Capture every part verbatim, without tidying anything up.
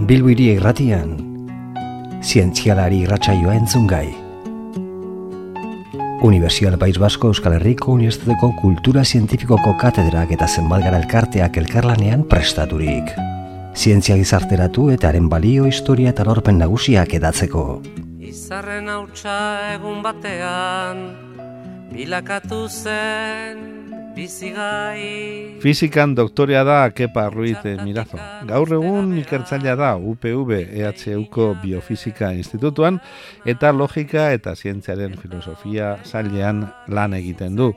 Bilbo Hiria Irratian, zientzialari irratsaioa entzungai. Unibertsitate País Basko Euskal Herriko Unibertsitateko Kultura Zientifikoko katedrak eta zenbat gara elkarteak elkarlanean prestaturik. Zientzia gizarteratu eta haren balio, historia eta lorpen nagusiak edatzeko. Izarren hautsa egun batean, bilakatu zen bizigai. Fizikan doktorea da Kepa Ruiz Mirazo. Gaur egun ikertzailea da U P V E H Uko Biofisika Institutuan eta logika eta zientziaren filosofia sailean lan egiten du.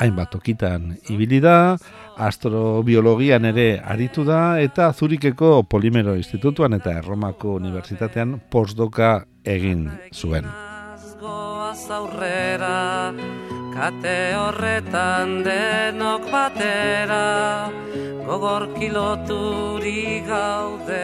Hainbat tokitan ibili da, astrobiologian ere aritu da eta Zurikeko Polimero Institutuan eta Erromako Unibertsitatean postdoka egin zuen. Aurrera, kate horretan denok batera, gogor kiloturi gaude.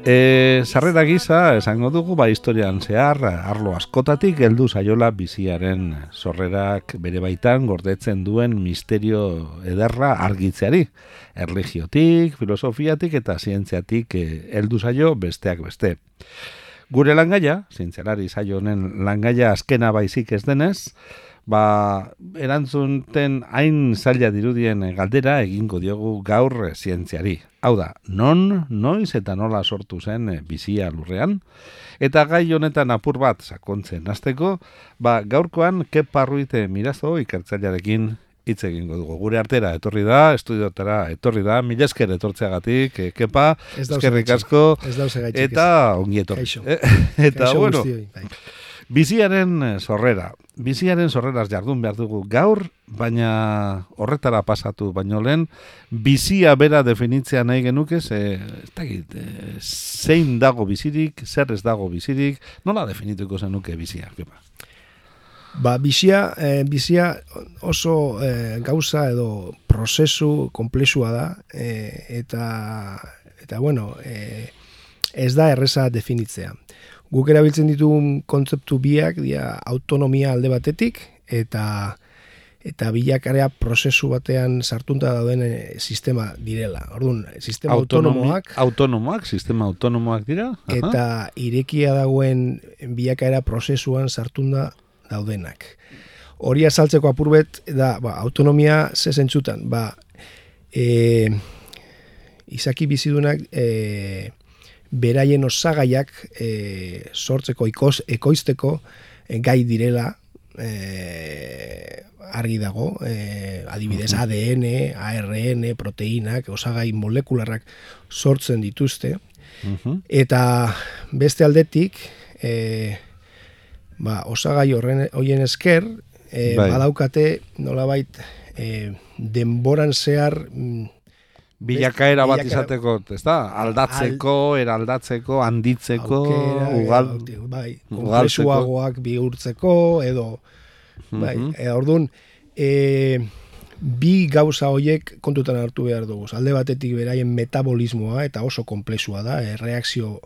E, sarrera gisa, esango dugu, ba historian zehar, arlo askotatik heldu zaiola biziaren sorrerak bere baitan gordetzen duen misterio ederra argitzeari. Erlijiotik, filosofiatik eta zientziatik heldu zaio besteak beste. Gure langaia, zientzialari saio honen langaia azkena baizik ez denez, ba, erantzunten hain zaila dirudien galdera egingo diogu gaur zientziari. Hau da, non, noiz eta nola sortu zen bizia lurrean? Eta gai honetan apur bat sakontzen hasteko, ba, gaurkoan Kepa Ruiz Mirazo ikertzailearekin hitz egingo dugu. Gure artera etorri da, estudiotara etorri da, mila esker etortzeagatik, Kepa, eskerrik asko, eta ongi etorri. Eh? Eta, Kaixo bueno, biziaren sorrera. Biziaren sorreraz jardun behar dugu gaur, baina horretara pasatu baino lehen, bizia bera definitzea nahi genuke, ze, ez dakit, zein dago bizirik, zer ez dago bizirik, nola definituko zenuke bizia, Kepa? Ba, bizia, eh, bizia oso eh, gauza edo prozesu konplexua da, eh, eta, eta bueno, eh, ez da erreza definitzea. Guk erabiltzen ditugun kontzeptu biak, dia autonomia alde batetik, eta eta bilakarea prozesu batean sartunta dauden sistema direla. Orduan, sistema Autonomi, autonomoak... Autonomoak, sistema autonomoak dira. Aha. Eta irekia dagoen bilakaera prozesuan sartunda daudenak. Hori azaltzeko apurbet da, ba, autonomia ze zentzutan, ba, e, izaki bizidunak e, beraien osagaiak e, sortzeko, ikoz, ekoizteko e, gai direla e, argi dago, e, adibidez A D N, A R N, proteinak, osagai molekularrak sortzen dituzte, uh-huh. Eta beste aldetik, e, ba, osagai horren hoien esker, e, bai. Badaukate nolabait e, denboran zehar bilakaera bat izateko, ezta? Aldatzeko, al, eraldatzeko, handitzeko, aukera, ugal, bai, konplexuagoak bihurtzeko edo bai, uh-huh. e, orduan e, bi gauza hoiek kontutan hartu behar dugu. Alde batetik beraien metabolismoa eta oso konplexua da, e, reakzio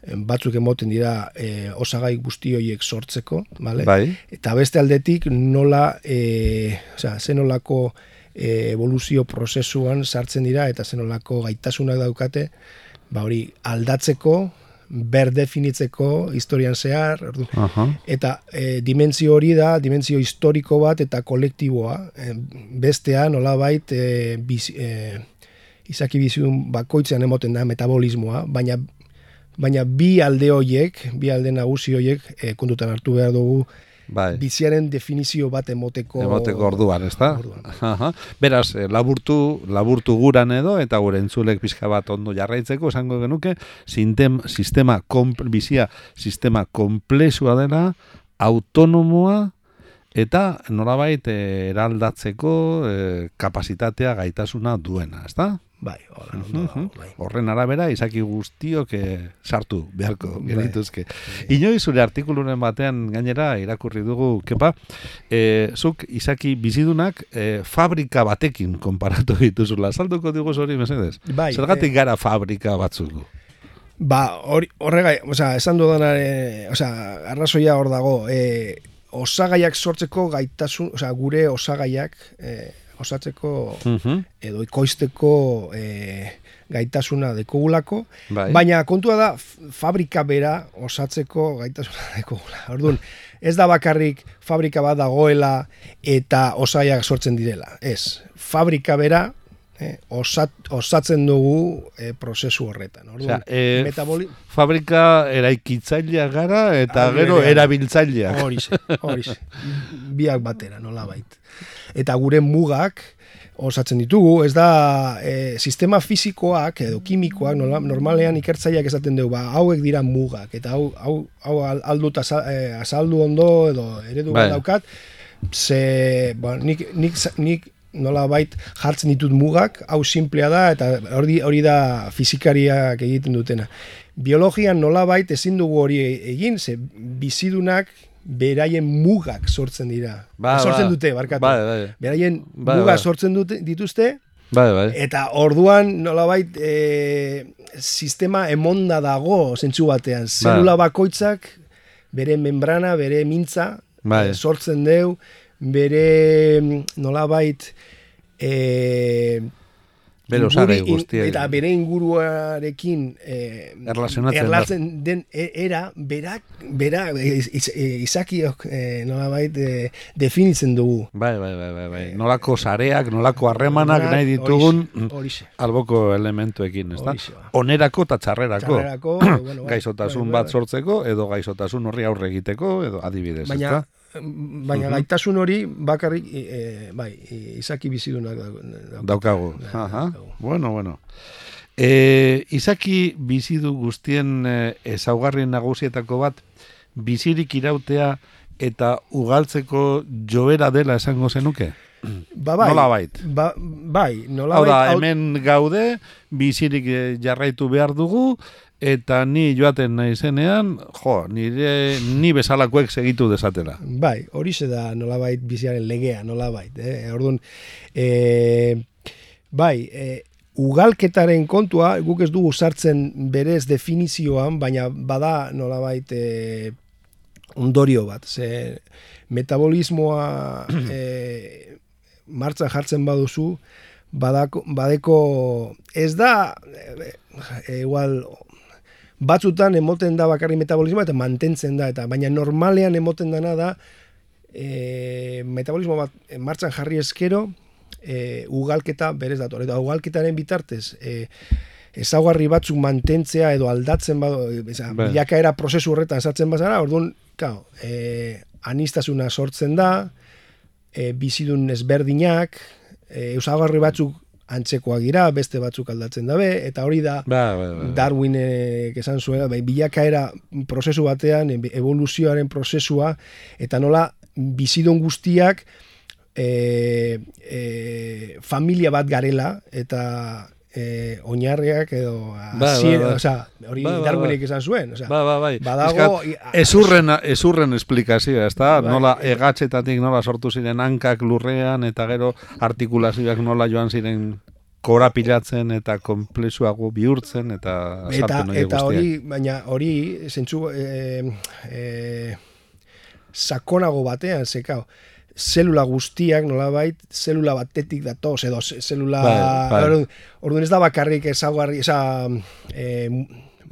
batzuk emoten dira e, osagai guzti horiek sortzeko, vale? Bai. Eta beste aldetik nola, e, osea, zenolako e, evoluzio prozesuan sartzen dira eta zenolako gaitasunak daukate, ba hori aldatzeko, berdefinitzeko historian zehar, uh-huh. Eta e, dimentsio hori da, dimentsio historiko bat eta kolektiboa, e, bestea nolabait e, biz, e, izaki bizidun bakoitzean emoten da metabolismoa, baina Baina bi alde horiek, bi alde nagusi horiek e, kontutan hartu behar dugu bai. Biziaren definizio bat emoteko... Emoteko orduan, ez da? Beraz, laburtu, laburtu guran edo, eta gure entzulek pixka bat ondo jarraitzeko, esango genuke, sintem, sistema, komple, bizia sistema komplexua dela, autonomoa, eta nolabait eraldatzeko e, kapasitatea gaitasuna duena, ez da? Bai, horren, uh-huh. bai. Horren arabera, izaki guztiok eh, sartu beharko genituzke. Bai. Inoiz zure artikuluren batean gainera irakurri dugu, Kepa, eh, zuk izaki bizidunak eh, fabrika batekin konparatu dituzula. Salduko digu hori mesedez? Bai, zergatik eh, gara fabrika batzuk? Ba, hori, horrega, osea, esan dudanare, osea, arrazoia hor dago, eh, osagaiak sortzeko gaitasun, osea, gure osagaiak, eh, osatzeko Mhm. edo ikoizteko e, gaitasuna dekogulako, Bai. baina kontua da f- fabrika bera osatzeko gaitasuna dekogula. Orduan, ez da bakarrik fabrika bat dagoela eta osaiak sortzen direla. Ez, fabrika bera eh, osat, osatzen dugu eh, prozesu horretan. Orduan, Osea, eh, metaboli... fabrika eraikitzailea gara eta Alde gero berean. erabiltzaileak. Horixe, horixe. Biak batera, nolabait. Eta gure mugak osatzen ditugu, ez da e, sistema fisikoak edo kimikoak nola, normalean ikertzaileak esaten dugu, ba, hauek dira mugak, eta hau, hau, hau aldut azal, e, azaldu ondo edo eredu Bai. bat daukat, ze, ba, nik, nik, nik nolabait jartzen ditut mugak, hau simplea da, eta hori, hori da fizikariak egiten dutena. Biologian nolabait ezin dugu hori egin, ze bizidunak beraien mugak sortzen dira. Ba, sortzen ba. dute, barkatu. Bai, bai. Beraien Bai, mugak bai. sortzen dute, dituzte, Bai, bai. eta orduan nolabait e, sistema emonda dago zentzu batean. Zelula bakoitzak bere membrana, bere mintza Bai. e, sortzen deu, bere mm, nolabait e, Bere osagai inguru- in- guztiak. eta bere inguruarekin eh, Erlazionatzen da. erlatzen den e- era berak bera iz, iz, izakiok eh, nolabait eh, definitzen dugu. Bai, bai, bai, bai, bai. Nolako sareak, nolako harremanak nahi ditugun Horixe, horixe. alboko elementuekin, ezta? Horixe ba. Onerako eta txarrerako. Txarrerako, bueno, bai, Gaizotasun bai, bat bai. sortzeko edo gaizotasun horri aurre egiteko edo adibidez, Baina, ezta? baina gaitasun hori bakarrik eh, bai, izaki bizidunak dauka. Daukagu. Bai, Aha. daukagu. Bueno, bueno. E, izaki bizidu guztien e, ezaugarri nagusietako bat bizirik irautea eta ugaltzeko joera dela esango zenuke? Ba, bai, Nolabait. Ba, bai, Hau nolabait. da, hau- hemen gaude, bizirik eh, jarraitu behar dugu, eta ni joaten naizenean, jo, nire, ni bezalakoek segitu desatela. Bai, horixe da nolabait biziaren legea, nolabait. Eh? Orduan, e, bai, e, ugalketaren kontua, guk ez dugu sartzen berez definizioan, baina bada nolabait e, ondorio bat. Ze metabolismoa e, martxan jartzen baduzu, badako, badeko, ez da, e, e, igual, batzutan emoten da bakarri metabolismoa eta mantentzen da, eta baina normalean emoten dana da e, metabolismo bat martxan jarri eskero e, ugalketa berez dator. Eta ugalketaren bitartez e, ezaugarri batzuk mantentzea edo aldatzen bado, eza, Bai. bilakaera prozesu horretan sartzen bazara, orduan, claro, e, anistasuna sortzen da, e, bizidun ezberdinak, e, ezaugarri batzuk antzekoak dira, beste batzuk aldatzen dabe, eta hori da Ba, ba, ba. Darwinek esan zuen, bai, bilakaera prozesu batean, evoluzioaren prozesua, eta nola bizidun guztiak e, e, familia bat garela, eta e, oinarriak edo ba, hasiera, ba. osea, hori Ba, ba, ba. Darwinek esan zuen, osea, Ba, ba, bai. badago Eskat, ezurren, ezurren esplikazioa, ezta? Bai. Nola egatzetatik nola sortu ziren hankak lurrean, eta gero artikulazioak nola joan ziren korapilatzen eta konplexuago bihurtzen, eta eta, azalpen horiek eta guztiak. hori, baina hori, zentzu, e, e, sakonago batean, zekao, zelula guztiak, nolabait, zelula batetik datoz, edo ze- zelula... Bai, bai. Orduan, orduan ez da bakarrik ezaugarri, eza... E,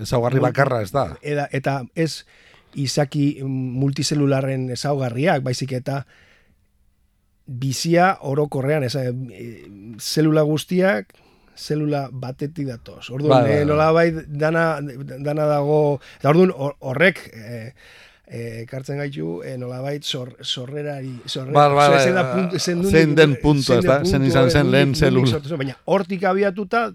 Ezaugarri bakarra ez da. eta, eta ez izaki multizelularren ezaugarriak, baizik eta bizia orokorrean, eza, e, zelula guztiak, zelula batetik datoz. Orduan, Bai, bai, e, bai. nolabait dana, dana dago, eta orduan hor- horrek... E, E, kartzen gaitu, e, nolabait zor, sorrerari, sorrera, Bai, bai, bai, zein da bai. puntu, zein Zein nundik- den puntua, zein ez da? den Zein puntua, izan zen nundik- lehen nundik zelula. sortu zen. Baina hortik abiatuta,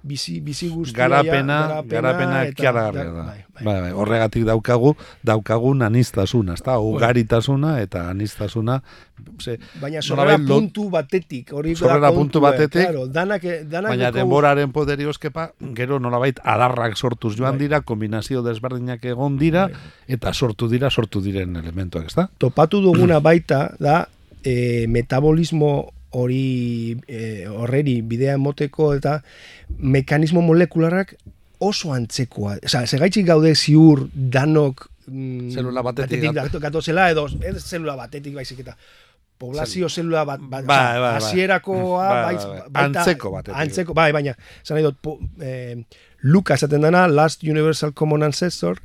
bizi, bizi guztia... Garapena, ja, garapena eta- kiaragarria da. Bai, bai. Bai, bai, horregatik daukagu, daukagun anistasuna, ezta? Ugaritasuna eta anistasuna. Ze, Baina sorrera nolabait lo- puntu batetik, hori da Sorrera puntu kontua, batetik, claro, danak, danak Baina daukagu- denboraren poderioz,kepa, gero nolabait adarrak sortuz joan Bai. dira, kombinazio desberdinak egon dira, eta sortu dira, sortu diren elementuak, ezta? topatu duguna baita da e, metabolismo hori e, horreri bidea emoteko eta mekanismo molekularrak oso antzekoa. Osea, segaitzik gaude ziur danok mm, Zelula batetik batetik gatozela edo ez zelula batetik baizik eta poblazio zelula bat, bat bai, bai, bai. hasierakoa bai, baitz, bai, bai. baita, antzeko bat. Antzeko, bai, baina, zan nahi dut, po, eh, Luka esaten dana, Last Universal Common Ancestor,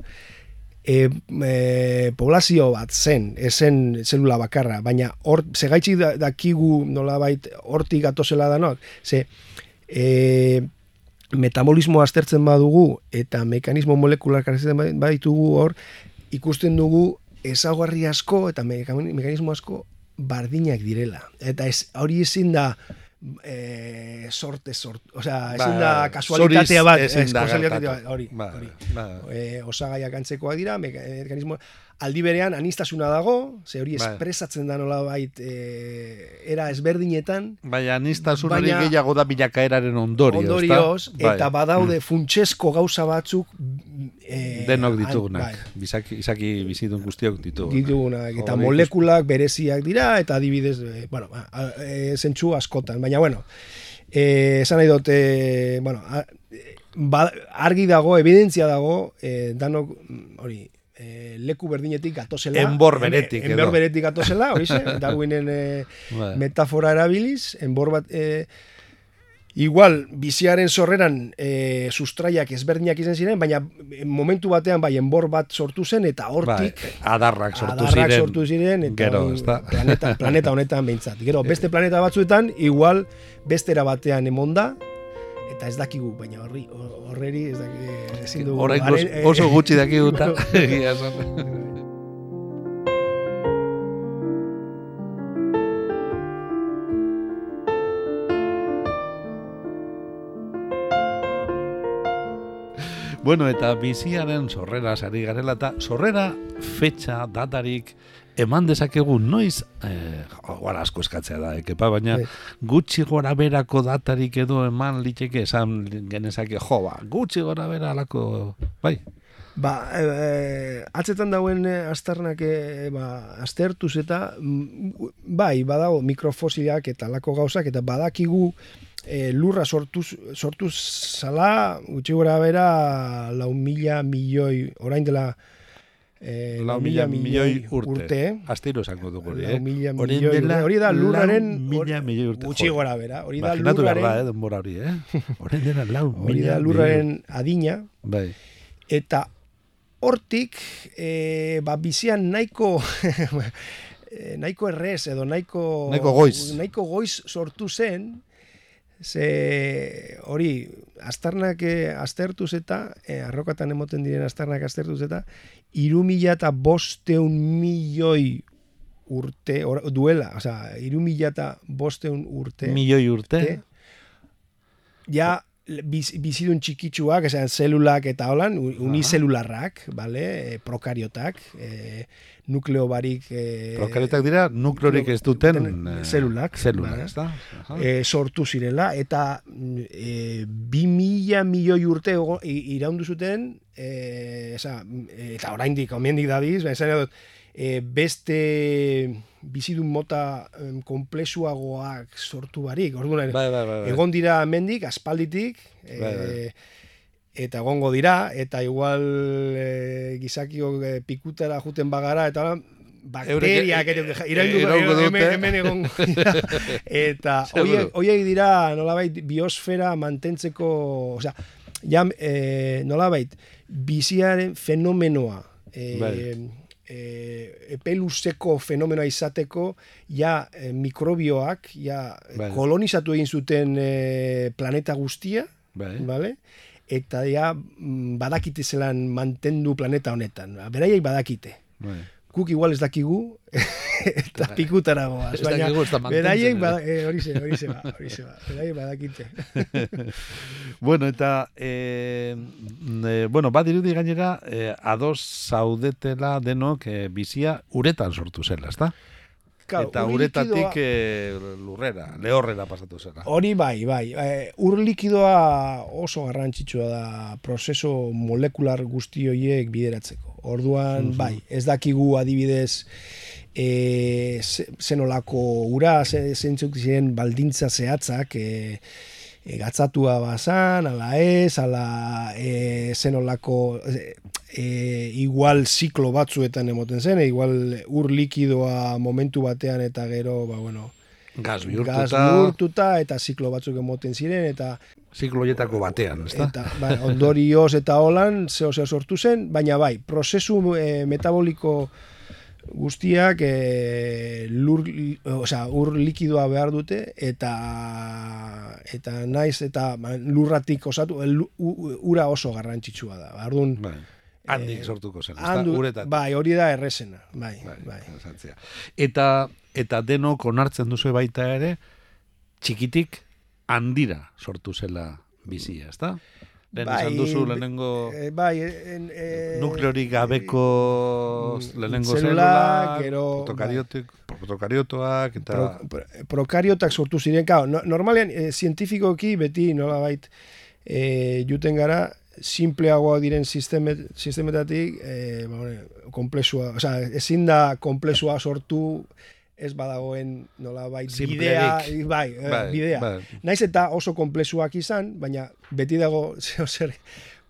e, e, poblazio bat zen, esen zelula bakarra, baina hor, segaitxik da, dakigu nolabait hortik gatozela danok, ze, e, metabolismo aztertzen badugu eta mekanismo molekular karetzen baditugu hor, ikusten dugu ezaugarri asko eta mekanismo asko bardinak direla. Eta ez, hori ezin da e, sorte, sort, osea, ezin da kasualitatea bat, ez, kasualitatea bat, hori, ba, hori. Ba. E, osagaiak antzekoak dira, mekanismo, aldi berean anistasuna dago, ze hori espresatzen da nolabait e, era ezberdinetan. Baina anistasun hori gehiago da bilakaeraren ondorioz. Ondorioz, eta badaude mm. funtsesko gauza batzuk e, denok ditugunak, bai. Bizaki, izaki bizitun guztiok ditugunak. Ditugunak, eta Hori, molekulak bereziak dira, eta adibidez, e, bueno, e, zentsu askotan, baina bueno, e, esan nahi dut, e, bueno, a, ba, argi dago, evidentzia dago, e, danok, hori, E, leku berdinetik gatozela. Enbor beretik. En, enbor beretik gatozela, hori ze, Darwinen e, metafora erabiliz, enbor bat, e, igual, biziaren sorreran e, sustraiak ezberdinak izan ziren, baina momentu batean bai enbor bat sortu zen, eta hortik bai, adarrak sortu adarrak ziren. sortu ziren, eta gero, planeta, planeta honetan behintzat. Gero, beste planeta batzuetan, igual, bestera batean emonda, eta ez dakigu, baina horri, horreri ez dakigu, ezin dugu. Horrein oso gutxi dakigu eta egia esan. Bueno, eta biziaren sorrera sari garela, eta sorrera fetxa, datarik, eman dezakegu noiz, eh, gara asko eskatzea da, ekepa, baina e. gutxi gora berako datarik edo eman liteke esan genezake, jo, ba, gutxi gora bera alako, bai? Ba, e, e, atzetan dauen aztarnak e, ba, aztertuz eta, bai, badago mikrofosiliak eta alako gauzak, eta badakigu e, lurra sortuz, sortuz zala, gutxi gora bera, lau mila milioi, orain dela, Eh, lau mila milioi urte. urte. Astiro esango dugu hori, eh? Hori da lurraren mila milioi urte. Gutxi gora bera. Hori da lurraren... behar da, eh, denbora hori, eh? Hori dela lau hori da lurraren adina. Bai. Eta hortik, eh, ba, bizian nahiko... nahiko errez edo nahiko... Nahiko goiz. Nahiko goiz sortu zen... Ze hori, aztarnak aztertuz eta, eh, arrokatan emoten diren aztarnak aztertuz eta, iru mila eta bosteun milioi urte, or, duela, oza, iru mila eta bosteun urte. Milioi urte? Ja, biz, bizidun txikitsuak, esan, zelulak eta holan, unizelularrak, vale? Prokariotak, eh, nukleo barik... E, Prokariotak dira, nukleorik ez duten zelulak, zelulak ezta? E, sortu zirela, eta e, bi mila milioi urte iraundu zuten, e, esa, eta oraindik, omendik dadiz, esan dut, e, beste bizidun mota um, komplexuagoak sortu barik. Orduan, bai, bai, bai, bai. egon dira mendik, aspalditik, e, bai, bai. Eta egongo dira, eta igual e, gizakio e, pikutara juten bagara, eta bakteriak iraungo dute, hemen egongo dira. Eta horiek dira, nolabait, biosfera mantentzeko, osea, ja, e, nolabait, biziaren fenomenoa, e, e, epeluzeko fenomenoa izateko, ja, e, mikrobioak, ja, bai. kolonizatu egin zuten e, planeta guztia, bai. Vale? Eta ja, badakite zelan mantendu planeta honetan. Beraiek badakite. Bai. Guk igual ez dakigu, eta pikutara goaz. Baina beraiek hori ze, hori ze ba, hori ze ba. Beraiek badakite. Bueno, eta, eh, eh, bueno, badirudi gainera, eh, ados zaudetela denok eh, bizia uretan sortu zela, ezta? Eta uretatik e, lurrera, lehorrera pasatu zela. Hori bai, bai. E, ur likidoa oso garrantzitsua da prozeso molekular guzti horiek bideratzeko. Orduan, mm-hmm. bai, ez dakigu adibidez e, zenolako ura, zeintzuk ziren baldintza zehatzak, e, e, gatzatua bazan, ala ez, ala e, zenolako e, e, igual ziklo batzuetan emoten zen, e, igual ur likidoa momentu batean eta gero, ba, bueno, Gaz bihurtuta. Gaz bihurtuta eta ziklo batzuk emoten ziren eta ziklo horietako batean, ezta? Eta bai, ondorioz eta holan zeo zer sortu zen, baina bai, prozesu e, metaboliko guztiak e, lur, osea, ur likidoa behar dute eta eta naiz eta lurratik osatu el, ura oso garrantzitsua da. Ordun bai. Handik sortuko zen, ezta? Handu, Uretat. Bai, hori da errezena, bai, bai. bai. Eta eta denok onartzen duzu baita ere txikitik handira sortu zela bizia, ezta? Lehen bai, esan duzu lehenengo e, bai, en, e, nukleorik gabeko lehenengo zelula, zelulak, gero, protokariotik, protokariotoak eta pro, pro, prokariotak sortu ziren, claro, no, normalean e, zientifikoki beti nolabait e, juten gara simpleagoa diren sistemet, sistemetatik e, ba, komplexua, o sea, ezin da komplexua sortu ez badagoen nolabait bidea, bai, bai, bidea. Bai. Naiz eta oso komplexuak izan, baina beti dago zeo zer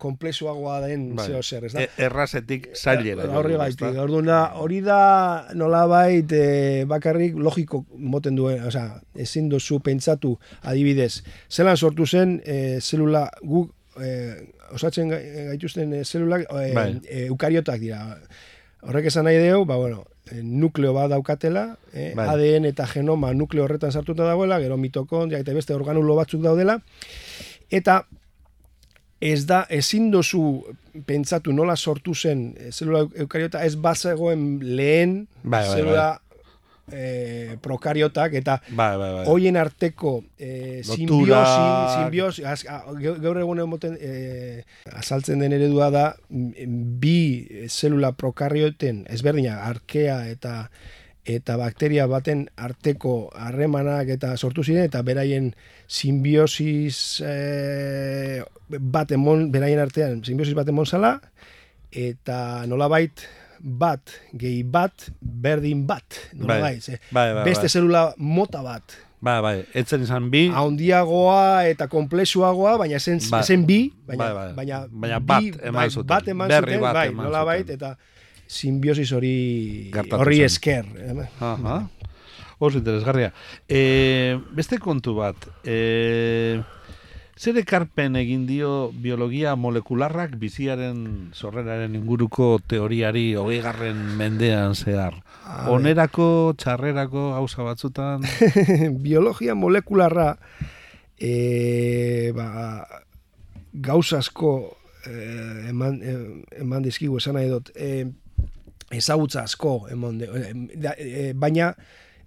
komplexuagoa den bai. Zeo zer, ez da? E, errazetik zailera. Horri gaitik, orduan da, hori da nolabait e, bakarrik logiko moten duen, o sea, ezin duzu pentsatu adibidez, zelan sortu zen e, zelula guk e, osatzen gaituzten e, zelulak e, bai. e, eukariotak dira. Horrek esan nahi deu, ba, bueno, nukleo bat daukatela, eh, bai. A D N eta genoma nukleo horretan sartuta dagoela, gero mitokondria eta beste organulo batzuk daudela, eta ez da, ezin dozu pentsatu nola sortu zen zelula eukariota, ez bazegoen lehen bai, bai, zelula bai. E, prokariotak eta bai, bai, bai. hoien arteko e, simbiosi, simbiosi az, a, gaur egun emoten e, azaltzen den eredua da bi zelula prokarioten ezberdina arkea eta eta bakteria baten arteko harremanak eta sortu ziren eta beraien simbiosis e, bat emon, beraien artean simbiosis bat emon zala eta nolabait bat, gehi bat, berdin bat. Bai, bai, bai, bai, beste bai. Zelula mota bat. Bai, bai, etzen izan bi. Haundiagoa eta komplexuagoa, baina esen, bai. esen bi, baina, bai, bai. baina, baina bat bi, eman bai, zuten. Bat eman Berri zuten, bat bai, eman nola bait, eta simbiosis hori horri esker. Aha. Oso interesgarria. E, beste kontu bat, e, zer ekarpen egin dio biologia molekularrak biziaren sorreraren inguruko teoriari hogeigarren mendean zehar? Onerako, txarrerako gauza batzutan? Biologia molekularra e, ba, gauza asko e, eman, e, eman dizkigu esan nahi dut. E, ezagutza asko eman de, e, baina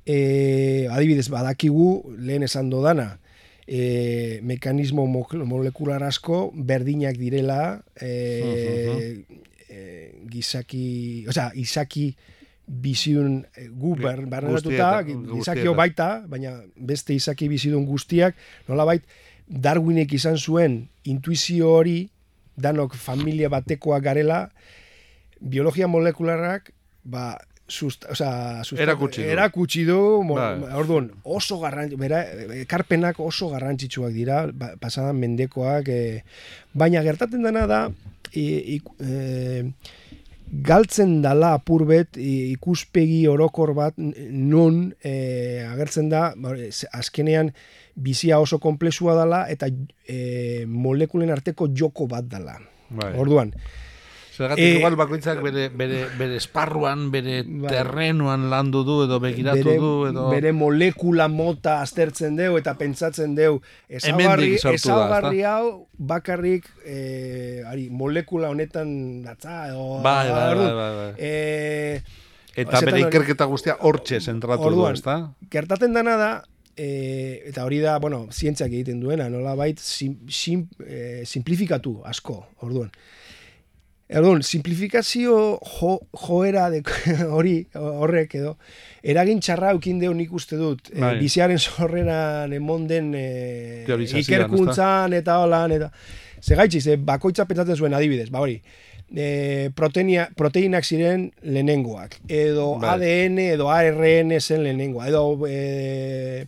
e, adibidez badakigu lehen esan dodana, E, mekanismo molekular asko berdinak direla e, e, gizaki, osea, izaki bizidun gu barneratuta, gizakio baita, baina beste izaki bizidun guztiak, nolabait Darwinek izan zuen intuizio hori, danok familia batekoak garela, biologia molekularrak, ba, Susta, o sea, susta, erakutsi du, erakutsi du orduan, oso garrantzi, bera, ekarpenak oso garrantzitsuak dira, ba, pasadan mendekoak, e, baina gertatzen dena da, e, e, galtzen dala apurbet ikuspegi orokor bat non e, agertzen da, azkenean bizia oso komplexua dala eta e, molekulen arteko joko bat dala. Bai. Orduan, zergatik e, igual bakoitzak bere, bere, bere esparruan, bere bai. terrenuan landu du edo begiratu bere, du edo... Bere molekula mota aztertzen deu eta pentsatzen deu ezagarri, ezagarri hau bakarrik e, ari, molekula honetan datza edo... Bai, bai, bai, bai, bai. E, eta bere ikerketa guztia hortxe zentratu du, ezta? Gertatzen dana da, e, eta hori da, bueno, zientziak egiten duena, nolabait sim, sim, e, simplifikatu asko, orduan. Orduan, simplifikazio jo, joera de, hori horrek edo eragin txarra eukin deu nik uste dut e, biziaren sorreran emon den e, ikerkuntzan eta holan eta segaitxiz, e, bakoitza pentsatzen zuen adibidez, ba hori e, proteina, proteinak ziren lehenengoak edo bai. A D N edo A R N zen lehenengoa edo e,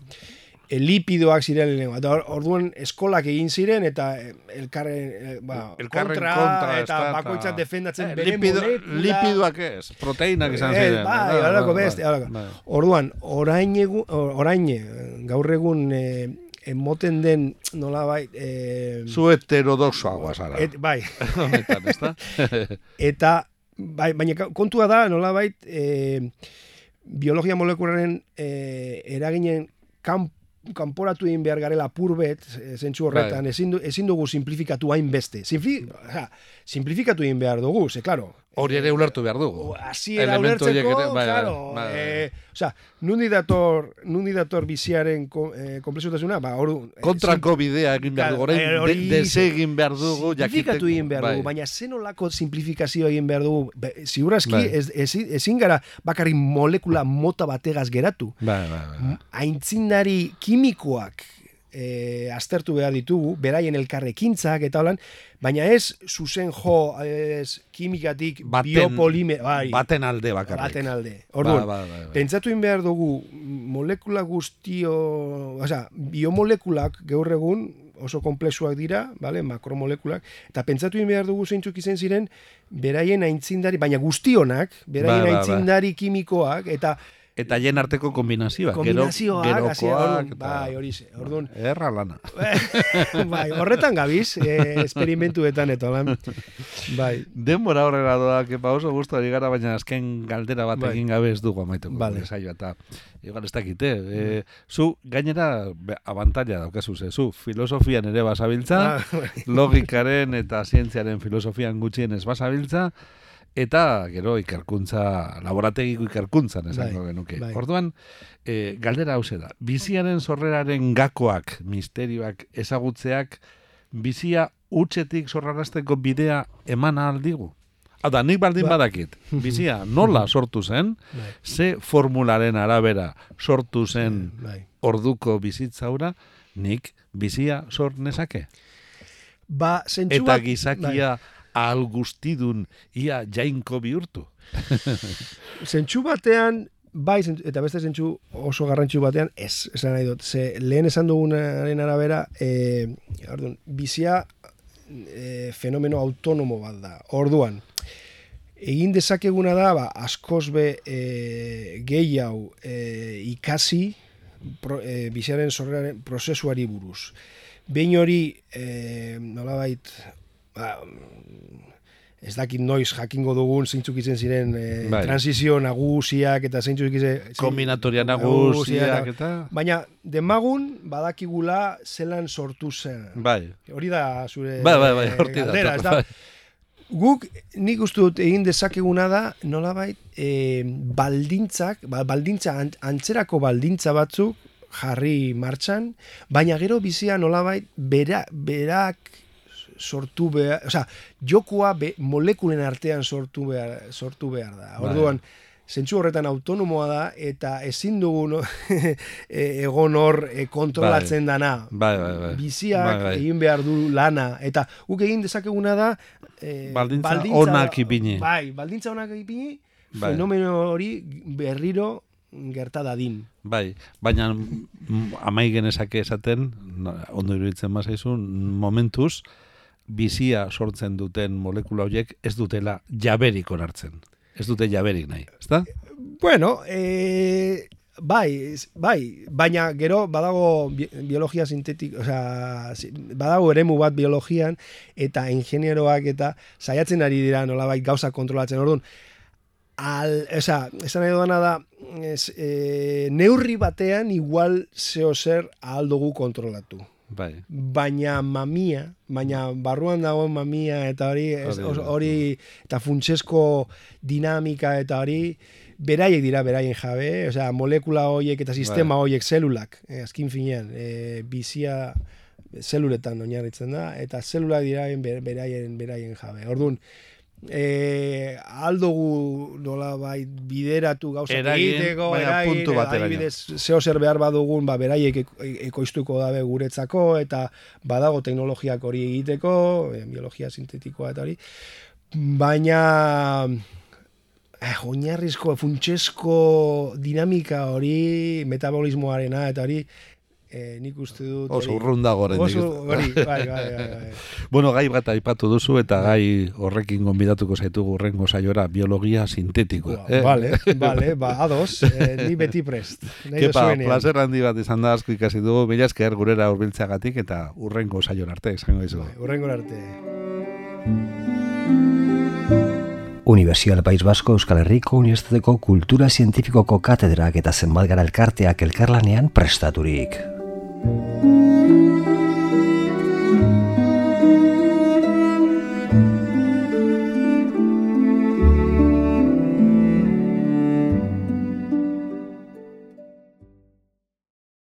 e, lipidoak ziren lehenengo. Eta orduan eskolak egin ziren eta elkarren, e, ba, elkarren kontra, kontra eta eta, bakoitzak defendatzen eh, bere lipido, molekula. lipidoak ez, proteinak izan ziren. Eh, bai, horako beste. Orduan, orain, egun, orain gaur egun e, emoten den nolabait... E, zu heterodoxoagoa zara. Et, bai. Honetan, ezta? Eta, bai, baina kontua da nolabait e, biologia molekularen e, eraginen kan, kanporatu egin behar garela purbet, zentsu horretan, ezin, du, ezin dugu simplifikatu hain beste. Simfli, ja, simplifikatu egin behar dugu, ze, klaro. Hori ere ulertu behar dugu. Asi era ulertzeko, bai, claro. Bai, bai. Eh, Osea, nundi dator, nundi dator biziaren eh, komplexutasuna, ba, hor... Kontrako bidea egin behar dugu, orain desegin behar dugu, simplifikatu egin behar dugu, baina zenolako simplifikazio egin behar dugu, ziurazki, ez, ez, ezin gara bakarrik molekula mota bategaz geratu. Bai, bai, bai. Aintzindari kimikoak E, aztertu behar ditugu, beraien elkarrekintzak eta holan, baina ez zuzen jo ez, kimikatik baten, biopolimer... Bai, baten alde bakarrik. Baten alde. Orduan, ba, ba, ba, ba. pentsatu in behar dugu molekula guztio... Osa, biomolekulak gaur egun oso komplexuak dira, vale, makromolekulak, eta pentsatu in behar dugu zeintzuk izen ziren, beraien aintzindari, baina guztionak, beraien ba, ba, ba. aintzindari kimikoak, eta... Eta jen arteko kombinazioak. Kombinazioak, gero, gerokoak. Bai, hori ze. Orduan. Erra lana. Bai, horretan gabiz, eh, esperimentuetan eta lan. Bai. Denbora horrela doa, kepa oso guztu ari gara, baina azken galdera bat bai. egin gabe ez dugu amaituko. Vale. Saio, eta igual ez dakite. Eh, zu, gainera, abantaila daukazu, ze, zu, filosofian ere basabiltza, ah, logikaren eta zientziaren filosofian gutxien ez basabiltza, eta gero ikerkuntza, laborategiko ikerkuntzan esango bai, genuke. Bai. Orduan, e, galdera hauze da, biziaren sorreraren gakoak, misterioak, ezagutzeak, bizia utxetik sorrarazteko bidea eman ahal digu? Hau da, nik baldin ba. badakit, bizia nola sortu zen, bai. ze formularen arabera sortu zen bai. orduko bizitzaura, nik bizia sor nezake? Ba, zentsu eta gizakia... Bai. Al guztidun ia jainko bihurtu. Zentsu batean, bai, eta beste zentsu oso garrantzu batean, ez, esan nahi dut, ze lehen esan dugunaren arabera, e, orduan, bizia e, fenomeno autonomo bat da. Orduan, egin dezakeguna da, ba, askoz be e, gehi hau e, ikasi pro, e, biziaren sorreraren prozesuari buruz. Behin hori, e, nolabait, ba, ez dakit noiz jakingo dugun zeintzuk izen ziren e, bai. transizio nagusiak eta zeintzuk izen... Kombinatoria nagusiak eta... Baina, demagun badakigula zelan sortu zen. Bai. Hori da zure bai, bai, bai, galdera. Da, guk nik uste dut egin dezakeguna da nolabait e, baldintzak, baldintza, antzerako baldintza batzuk jarri martxan, baina gero bizia nolabait bera, berak sortu behar, osea, jokua be, molekulen artean sortu behar, sortu behar da. Orduan, zentsu horretan autonomoa da, eta ezin dugu no, egon hor e, kontrolatzen bai. dana. Bai, bai, bai. Biziak bai, bai. egin behar du lana, eta guk egin dezakeguna da e, baldintza, baldintza onak ipini. Bai, baldintza onak ipini, bai. fenomeno hori berriro gerta dadin. Bai, baina amai genezake esaten, ondo iruditzen bazaizun, momentuz, bizia sortzen duten molekula horiek ez dutela jaberik onartzen. Ez dute jaberik nahi, ezta? Bueno, e, bai, bai, baina gero badago biologia sintetik, osea, badago eremu bat biologian eta ingenieroak eta saiatzen ari dira nolabait gauza kontrolatzen. Orduan, al, esa, esan nahi dudana da, es, e, neurri batean igual zeo zer ahal dugu kontrolatu. Bai. Baina mamia, baina barruan dagoen mamia eta hori, ez, hori eta funtsesko dinamika eta hori, beraiek dira beraien jabe, osea, molekula horiek eta sistema horiek zelulak, eh, azkin finean, eh, bizia zeluletan oinarritzen da, eta zelulak dira beraien, beraien jabe. Orduan, eh, aldugu nola bai bideratu gauzak egiteko, puntu batera. Adibidez, zeo zer behar badugun, ba, beraiek ekoiztuko dabe guretzako, eta badago teknologiak hori egiteko, eh, biologia sintetikoa eta hori, baina eh, oinarrizko, funtsesko dinamika hori, metabolismoarena eta hori, e, nik uste dut... Oso urrunda goren. Oso hori, bai, bai, bai, bai. Bueno, gai bat aipatu duzu eta gai horrekin gonbidatuko zaitugu urrengo saiora biologia sintetikoa. Eh? Vale, vale, ba, ados, eh, ni beti prest. Kepa, placer handi bat izan da, asko ikasi dugu, mila esker gurera hurbiltzeagatik eta urrengo saiora arte, izango dizu. Bai, urrengo arte. Universidad País Vasco Euskal Herriko Unibertsitateko Kultura Zientifikoko katedrak eta zenbat gara elkarteak elkarlanean prestaturik.